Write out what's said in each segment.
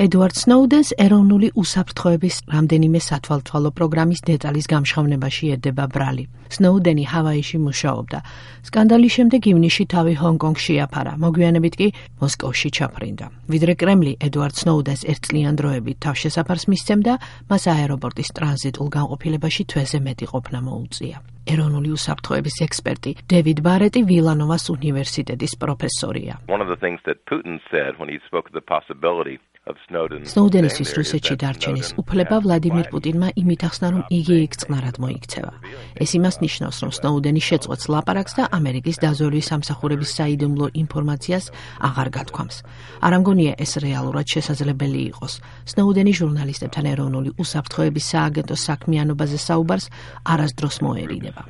ედვარდ სნოუდენს ეროვნული უსაფრთხოების რამდენიმე სათვალთვალო პროგრამის დეტალის გამშღავნებაში ედება ბრალი. სნოუდენი ჰავაიში მუშაობდა. სკანდალის შემდეგ ივნისში თავი ჰონგ-კონგში აფარა, მოგვიანებით კი მოსკოვში ჩაფრინდა. ვიდრე კრემლი ედვარდ სნოუდენს ერთწლიან დროებით თავშესაფარს მისცემდა, მას აეროპორტის ტრანზიტულ განყოფილებაში თვეზე მეტი ყოფნა მოუწია. ეროვნული უსაფრთხოების ექსპერტი დევიდ ბარეტი ვილანოვას უნივერსიტეტის პროფესორია. სნოუდენისთვის რუსეთში დარჩენის უფლება ვლადიმირ პუტინმა იმით ახსნა, რომ იგი იქ წყნარად მოიქცევა. ეს იმას ნიშნავს, რომ სნოუდენი შეწყვეტს ლაპარაკს და ამერიკის დაზვერვის სამსახურების საიდუმლო ინფორმაციას აღარ გათქვამს. არ ამგონია ეს რეალურად შესაძლებელი იყოს. სნოუდენი ჟურნალისტებთან ეროვნული უსაფრთხოების სააგენტოს საქმიანობაზე საუბარს არასდროს მოერიდება.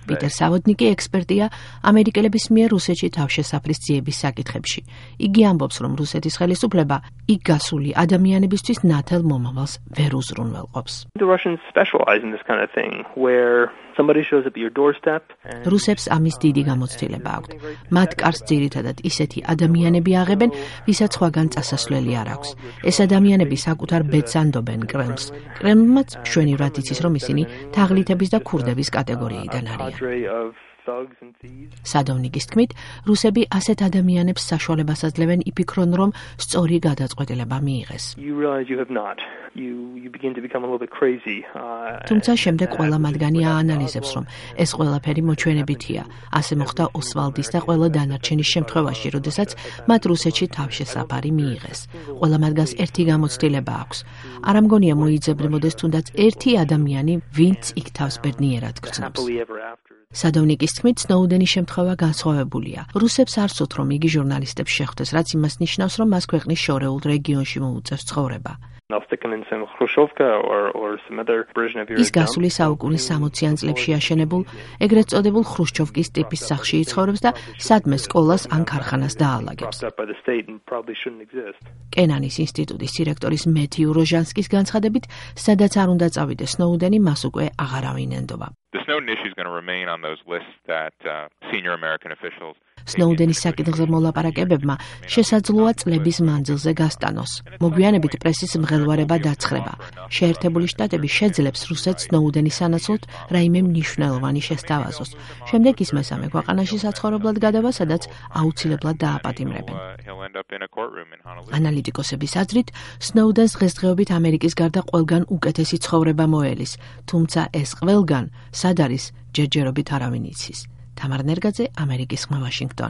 პიტერ სავოდნიკი ექსპერტია ამერიკელების მიერ რუსეთში თავშესაფრის ძიების საკითხებში. იგი ამბობს, რომ რუსეთის ხელისუფლება იქ გასული ადამიანებისთვის ნათელ მომავალს ვერ უზრუნველყოფს. რუსებს ამის დიდი გამოცდილება აქვთ. მათ კარს ძირითადად ისეთი ადამიანები აღებენ, ვისაც სხვაგან წასასვლელი არ აქვს. ეს ადამიანები საკუთარ ბედს ანდობენ კრემლს. კრემლმაც მშვენივრად იცის, რომ ისინი თაღლითების და ქურდების კატეგორიიდან არიან. სადოვნიკის თქმით, რუსები ასეთ ადამიანებს საშუალებას აძლევენ იფიქრონ, რომ სწორი გადაწყვეტილება მიიღეს. თუმცა შემდეგ ყველა მათგანი აანალიზებს, რომ ეს ყველაფერი მოჩვენებითია. ასე მოხდა ოსვალდის და ყველა დანარჩენის შემთხვევაში, როდესაც მათ რუსეთში თავშესაფარი მიიღეს. ყველა მათგანს ერთი გამოცდილება აქვს. არ ამგონია მოიძებნებოდეს თუნდაც ერთი ადამიანი, ვინც იქ თავს ბედნიერად გრძნობს. სადოვნიკის თქმით, სნოუდენის შემთხვევა განსხვავებულია. რუსებს არ სურთ, რომ იგი ჟურნალისტებს შეხვდეს, რაც იმას ნიშნავს, რომ მას ქვეყნის შორეულ რეგიონში მოუწევს ცხოვრება. ის გასული საუკუნის 60-იან წლებში აშენებულ, ეგრეთ წოდებულ ხრუშჩოვკის ტიპის სახლში იცხოვრებს და სადმე სკოლას ან ქარხანას დაალაგებს. კენანის ინსტიტუტის დირექტორის მეთიუ როჟანსკის განცხადებით, სადაც არ უნდა წავიდეს სნოუდენი, მას უკვე აღარავინ ენდობა. სნოუდენის საკითხზე მოლაპარაკებებმა შესაძლოა წლების მანძილზე გასტანოს. მოგვიანებით პრესის მღელვარება დაცხრება. შეერთებული შტატები შეძლებს რუსეთს სნოუდენის სანაცვლოდ რაიმე მნიშვნელოვანი შესთავაზოს. შემდეგ ის მესამე ქვეყანაში საცხოვრებლად გადავა, სადაც აუცილებლად დააპატიმრებენ. ანალიტიკოსების აზრით, სნოუდენს დღესდღეობით ამერიკის გარდა ყველგან უკეთესი ცხოვრება მოელის, თუმცა ეს ყველგან სად არის, ჯერჯერობით არავინ იცის. თამარ ნერგაძე, ამერიკის ხმა, ვაშინგტონი.